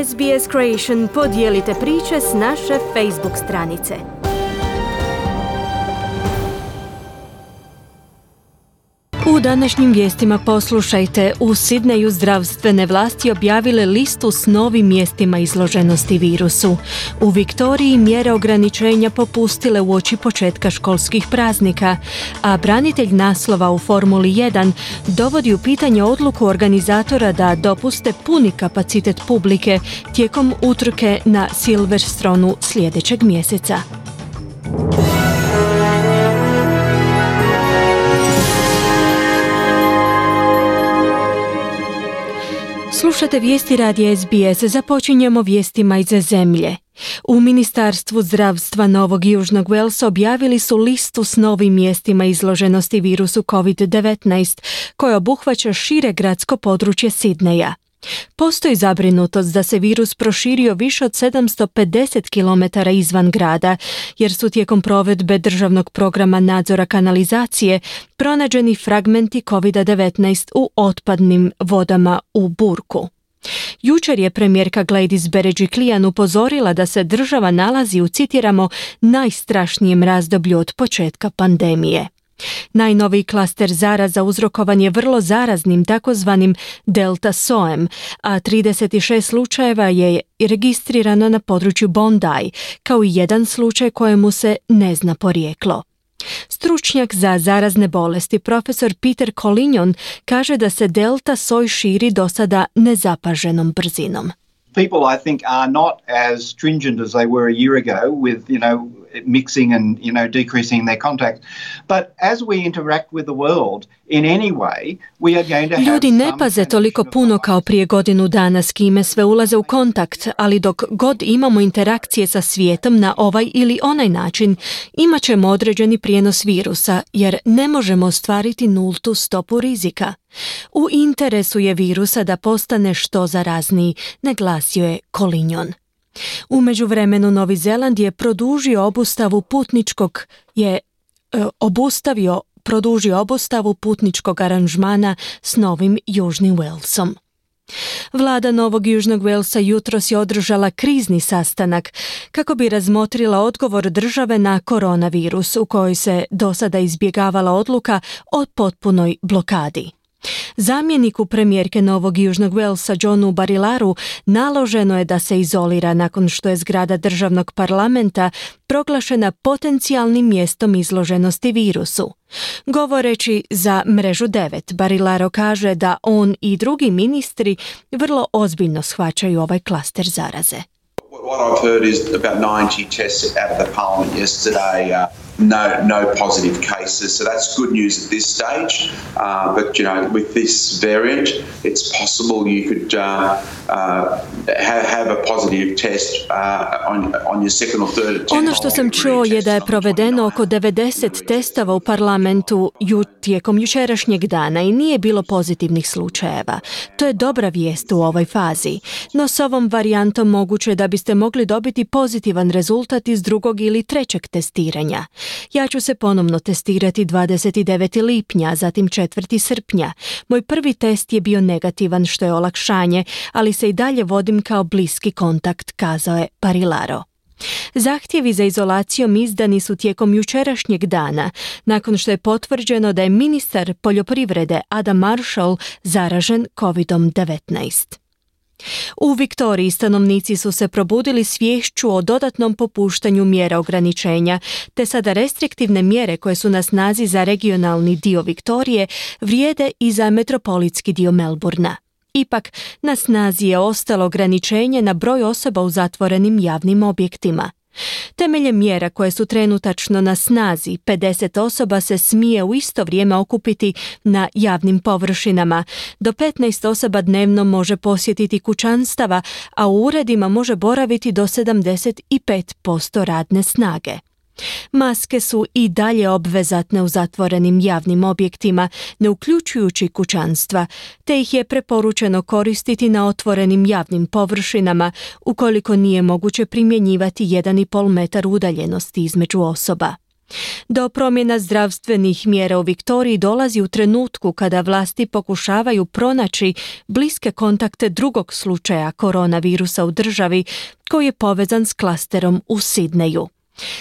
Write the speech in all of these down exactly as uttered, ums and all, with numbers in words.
S B S Creation podijelite priče s naše Facebook stranice. U današnjim vijestima poslušajte, u Sidneju zdravstvene vlasti objavile listu s novim mjestima izloženosti virusu. U Viktoriji mjere ograničenja popustile uoči početka školskih praznika, a branitelj naslova u Formuli jedan dovodi u pitanje odluku organizatora da dopuste puni kapacitet publike tijekom utrke na Silverstonu sljedećeg mjeseca. Slušate vijesti radija S B S, započinjemo vijestima iz zemlje. U Ministarstvu zdravstva Novog Južnog Walesa objavili su listu s novim mjestima izloženosti virusu covid devetnaest, koja obuhvaća šire gradsko područje Sidneja. Postoji zabrinutost da se virus proširio više od sedamsto pedeset kilometara izvan grada, jer su tijekom provedbe državnog programa nadzora kanalizacije pronađeni fragmenti covid devetnaest u otpadnim vodama u Burku. Jučer je premijerka Gladys Berejiklian upozorila da se država nalazi u, citiramo, najstrašnijem razdoblju od početka pandemije. Najnoviji klaster zaraza uzrokovan je vrlo zaraznim takozvanim delta sojem, a trideset šest slučajeva je registrirano na području Bondi, kao i jedan slučaj kojemu se ne zna porijeklo. Stručnjak za zarazne bolesti profesor Peter Collignon kaže da se delta soj širi do sada nezapaženom brzinom. People, I think, are not as stringent as they were a year ago with, you know, mixing and, you know, decreasing their contact. But as we interact with the world in any way, we are going to have Ljudi ne paze toliko puno kao prije godinu dana s kime sve ulaze u kontakt, ali dok god imamo interakcije sa svijetom na ovaj ili onaj način, imat ćemo određeni prijenos virusa, jer ne možemo ostvariti nultu stopu rizika. U interesu je virusa da postane što zarazniji, naglasio je Collignon. U međuvremenu Novi Zeland je produžio obustavu putničkog je e, obustavio produžio obustavu putničkog aranžmana s Novim Južnim Walesom. Vlada Novog Južnog Walesa jutros je održala krizni sastanak kako bi razmotrila odgovor države na koronavirus, u kojoj se do sada izbjegavala odluka o potpunoj blokadi. Zamjeniku premijerke Novog Južnog Walesa Johnu Barilaru naloženo je da se izolira nakon što je zgrada državnog parlamenta proglašena potencijalnim mjestom izloženosti virusu. Govoreći za mrežu devet, Barilaro kaže da on i drugi ministri vrlo ozbiljno shvaćaju ovaj klaster zaraze. What I've heard is about ninety tests out of the parliament yesterday, uh, no no positive cases, so that's good news at this stage. Uh, but you know, with this variant, it's possible you could uh, uh, have, have a positive test uh, on on your second or third attempt. Ono što sam čuo je da je provedeno oko devedeset testova u parlamentu ju, tijekom jučerašnjeg dana i nije bilo pozitivnih slučajeva. To je dobra vijest u ovoj fazi, no s ovom varijantom moguće da biste mogli dobiti pozitivan rezultat iz drugog ili trećeg testiranja. Ja ću se ponovno testirati dvadeset devetog lipnja, zatim četvrtog srpnja. Moj prvi test je bio negativan, što je olakšanje, ali se i dalje vodim kao bliski kontakt, kazao je Barilaro. Zahtjevi za izolacijom izdani su tijekom jučerašnjeg dana, nakon što je potvrđeno da je ministar poljoprivrede Adam Marshall zaražen covid devetnaest. U Viktoriji stanovnici su se probudili s viješću o dodatnom popuštanju mjera ograničenja, te sada restriktivne mjere koje su na snazi za regionalni dio Viktorije vrijede i za metropolitski dio Melbourna. Ipak, na snazi je ostalo ograničenje na broj osoba u zatvorenim javnim objektima. Temeljem mjera koje su trenutačno na snazi, pedeset osoba se smije u isto vrijeme okupiti na javnim površinama, do petnaest osoba dnevno može posjetiti kućanstava, a u uredima može boraviti do sedamdeset pet posto radne snage. Maske su i dalje obvezatne u zatvorenim javnim objektima, ne uključujući kućanstva, te ih je preporučeno koristiti na otvorenim javnim površinama ukoliko nije moguće primjenjivati jedan i pol metar udaljenosti između osoba. Do promjena zdravstvenih mjera u Viktoriji dolazi u trenutku kada vlasti pokušavaju pronaći bliske kontakte drugog slučaja koronavirusa u državi koji je povezan s klasterom u Sidneju.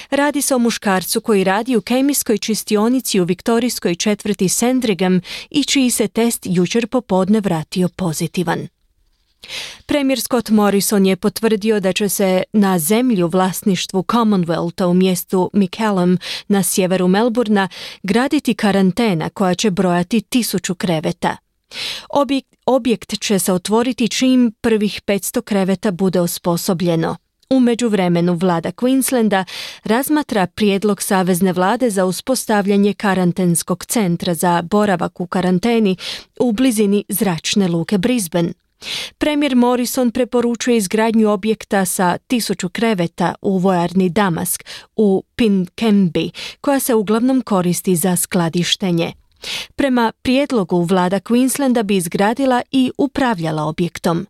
Radi se o muškarcu koji radi u kemijskoj čistionici u viktorijskoj četvrti Sandringham i čiji se test jučer popodne vratio pozitivan. Premijer Scott Morrison je potvrdio da će se na zemlji u vlasništvu Commonwealtha u mjestu McCallum na sjeveru Melbourna graditi karantena koja će brojati tisuću kreveta. Objekt, objekt će se otvoriti čim prvih petsto kreveta bude osposobljeno. U međuvremenu vlada Queenslanda razmatra prijedlog savezne vlade za uspostavljanje karantenskog centra za boravak u karanteni u blizini zračne luke Brisbane. Premijer Morrison preporučuje izgradnju objekta sa tisuću kreveta u vojarni Damask u Pinkenby, koja se uglavnom koristi za skladištenje. Prema prijedlogu vlada Queenslanda bi izgradila i upravljala objektom.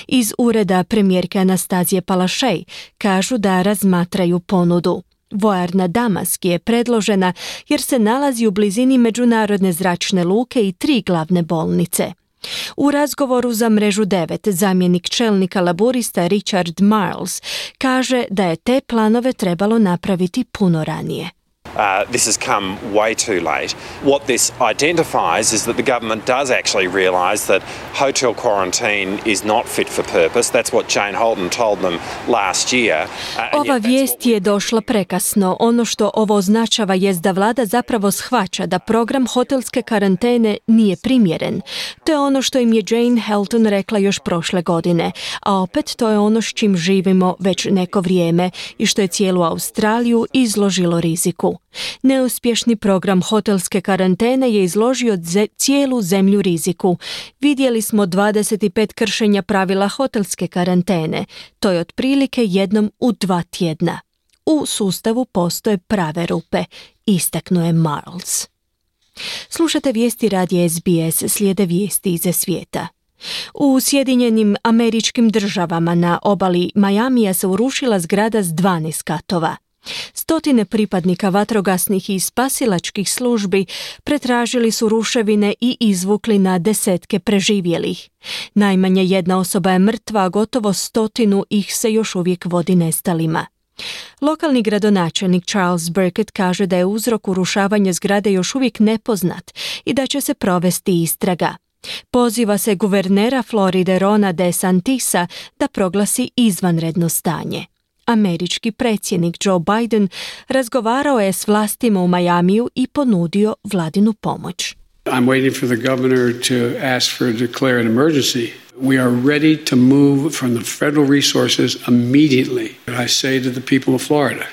Iz ureda premijerke Anastazije Palaszczuk kažu da razmatraju ponudu. Vojarna Damask je predložena jer se nalazi u blizini međunarodne zračne luke i tri glavne bolnice. U razgovoru za Mrežu devet zamjenik čelnika laburista Richard Marles kaže da je te planove trebalo napraviti puno ranije. Uh, this has come way too late. What this identifies is that the government does actually realise that hotel quarantine is not fit for purpose. That's what Jane Holden told them last year. Uh, Ova vijest je došla prekasno. Ono što ovo označava jest da vlada zapravo shvaća da program hotelske karantene nije primjeren. To je ono što im je Jane Holden rekla još prošle godine, a opet to je ono s čim živimo već neko vrijeme i što je cijelu Australiju izložilo riziku. Neuspješni program hotelske karantene je izložio ze- cijelu zemlju riziku. Vidjeli smo dvadeset pet kršenja pravila hotelske karantene. To je otprilike jednom u dva tjedna. U sustavu postoje prave rupe, istaknuo je Marles. Slušate vijesti radija S B S, slijede vijesti iz svijeta. U Sjedinjenim Američkim Državama na obali Majamija se urušila zgrada s dvanaest katova. Stotine pripadnika vatrogasnih i spasilačkih službi pretražili su ruševine i izvukli na desetke preživjelih. Najmanje jedna osoba je mrtva, a gotovo stotinu ih se još uvijek vodi nestalima. Lokalni gradonačelnik Charles Burkett kaže da je uzrok urušavanja zgrade još uvijek nepoznat i da će se provesti istraga. Poziva se guvernera Floride Rona DeSantisa da proglasi izvanredno stanje. Američki predsjednik Joe Biden razgovarao je s vlastima u Majamiju i ponudio vladinu pomoć. I'm waiting for the governor to ask for declare an emergency. We are ready to move from the federal resources immediately. I say to the people of Florida,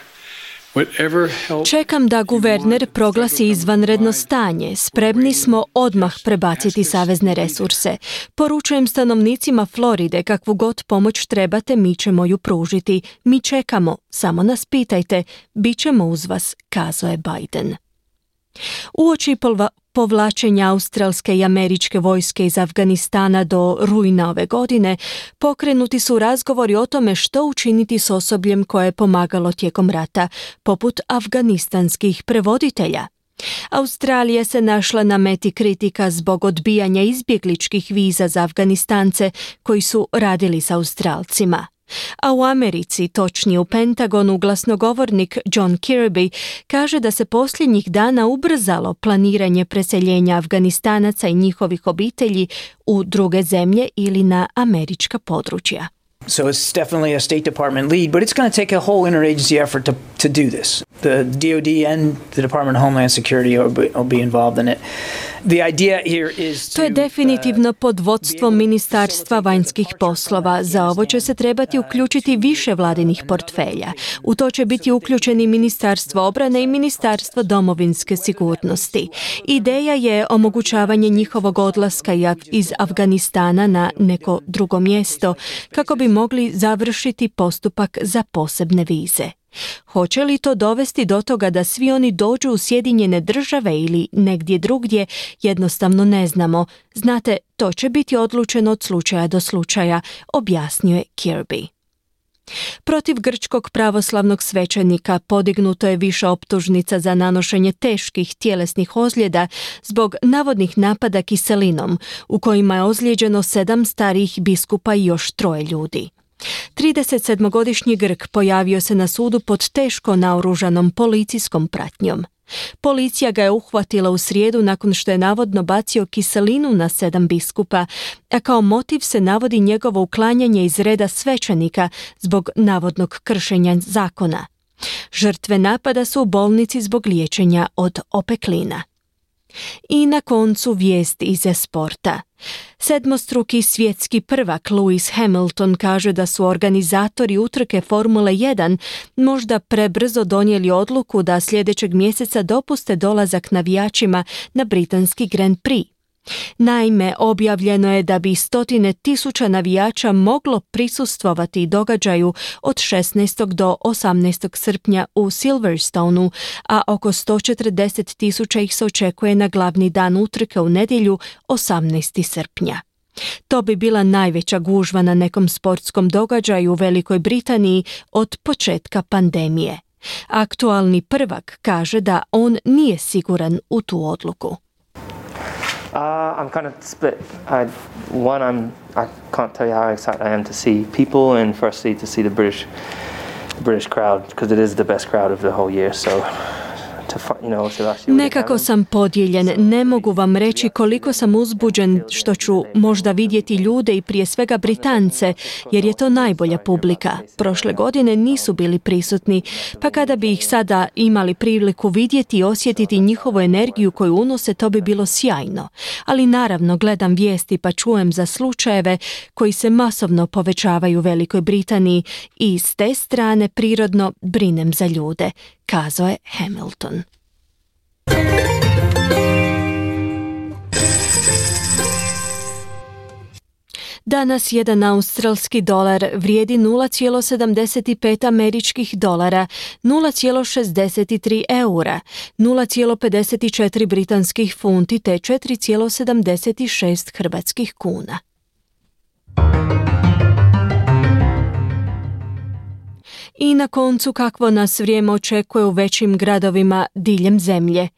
čekam da guverner proglasi izvanredno stanje. Spremni smo odmah prebaciti savezne resurse. Poručujem stanovnicima Floride, kakvu god pomoć trebate, mi ćemo ju pružiti. Mi čekamo, samo nas pitajte, bit ćemo uz vas, kazao je Biden. Uoči povlačenja australske i američke vojske iz Afganistana do rujna ove godine, pokrenuti su razgovori o tome što učiniti s osobljem koje je pomagalo tijekom rata, poput afganistanskih prevoditelja. Australija se našla na meti kritika zbog odbijanja izbjegličkih viza za Afganistance koji su radili s Australcima. A u Americi, točnije u Pentagonu, glasnogovornik John Kirby kaže da se posljednjih dana ubrzalo planiranje preseljenja Afganistanaca i njihovih obitelji u druge zemlje ili na američka područja. So it's definitely a State Department lead, but it's going to take a whole interagency effort to, to do this. The D O D and the Department of Homeland Security will be, will be involved in it. The idea here is to, to je definitivno pod vodstvom Ministarstva vanjskih poslova. Za ovo će se trebati uključiti više vladinih portfelja. U to će biti uključeni Ministarstvo obrane i Ministarstvo domovinske sigurnosti. Ideja je omogućavanje njihovog odlaska iz Afganistana na neko drugo mjesto kako bi mogli završiti postupak za posebne vize. Hoće li to dovesti do toga da svi oni dođu u Sjedinjene Države ili negdje drugdje, jednostavno ne znamo. Znate, to će biti odlučeno od slučaja do slučaja, objasnio je Kirby. Protiv grčkog pravoslavnog svećenika podignuto je više optužnica za nanošenje teških tjelesnih ozljeda zbog navodnih napada kiselinom, u kojima je ozlijeđeno sedam starijih biskupa i još troje ljudi. tridesetsedmogodišnji Grk pojavio se na sudu pod teško naoružanom policijskom pratnjom. Policija ga je uhvatila u srijedu nakon što je navodno bacio kiselinu na sedam biskupa, a kao motiv se navodi njegovo uklanjanje iz reda svećenika zbog navodnog kršenja zakona. Žrtve napada su u bolnici zbog liječenja od opeklina. I na koncu vijest iz sporta. Sedmostruki svjetski prvak Lewis Hamilton kaže da su organizatori utrke Formule jedan možda prebrzo donijeli odluku da sljedećeg mjeseca dopuste dolazak navijačima na britanski Grand Prix. Naime, objavljeno je da bi stotine tisuća navijača moglo prisustvovati događaju od šesnaestog do osamnaestog srpnja u Silverstonu, a oko sto četrdeset tisuća ih se očekuje na glavni dan utrke u nedjelju osamnaestog srpnja. To bi bila najveća gužva na nekom sportskom događaju u Velikoj Britaniji od početka pandemije. Aktualni prvak kaže da on nije siguran u tu odluku. Uh, I'm kind of split. I, one, I'm, I can't tell you how excited I am to see people, and firstly to see the British, British crowd, because it is the best crowd of the whole year. So, to, you know, to actually Nekako sam podijeljen. Ne mogu vam reći koliko sam uzbuđen što ću možda vidjeti ljude i prije svega Britance, jer je to najbolja publika. Prošle godine nisu bili prisutni, pa kada bi ih sada imali priliku vidjeti i osjetiti njihovu energiju koju unose, to bi bilo sjajno. Ali naravno gledam vijesti pa čujem za slučajeve koji se masovno povećavaju u Velikoj Britaniji i s te strane prirodno brinem za ljude, kazao je Hamilton. Danas jedan australski dolar vrijedi nula zarez sedamdeset pet američkih dolara, nula zarez šezdeset tri eura, nula zarez pedeset četiri britanskih funti te četiri zarez sedamdeset šest hrvatskih kuna. I na koncu kakvo nas vrijeme očekuje u većim gradovima diljem zemlje.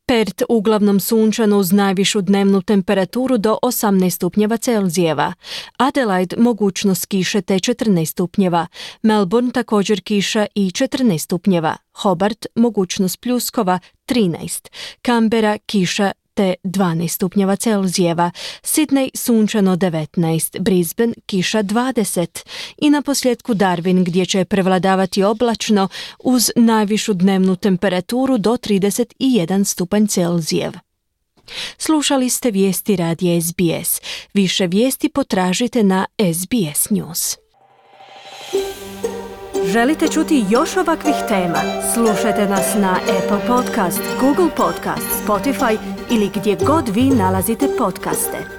Perth uglavnom sunčano uz najvišu dnevnu temperaturu do osamnaest stupnjeva Celzijeva. Adelaide mogućnost kiše te četrnaest stupnjeva. Melbourne također kiša i četrnaest stupnjeva. Hobart mogućnost pljuskova trinaest. Canberra kiša te dvanaest stupnjeva Celzijeva, Sydney sunčano devetnaest, Brisbane kiša dvadeset i na posljedku Darwin gdje će prevladavati oblačno uz najvišu dnevnu temperaturu do trideset jedan stupanj Celzijev. Slušali ste vijesti radija S B S. Više vijesti potražite na S B S News. Želite čuti još ovakvih tema? Slušajte nas na Apple Podcast, Google Podcast, Spotify ili gdje god vi nalazite podcaste.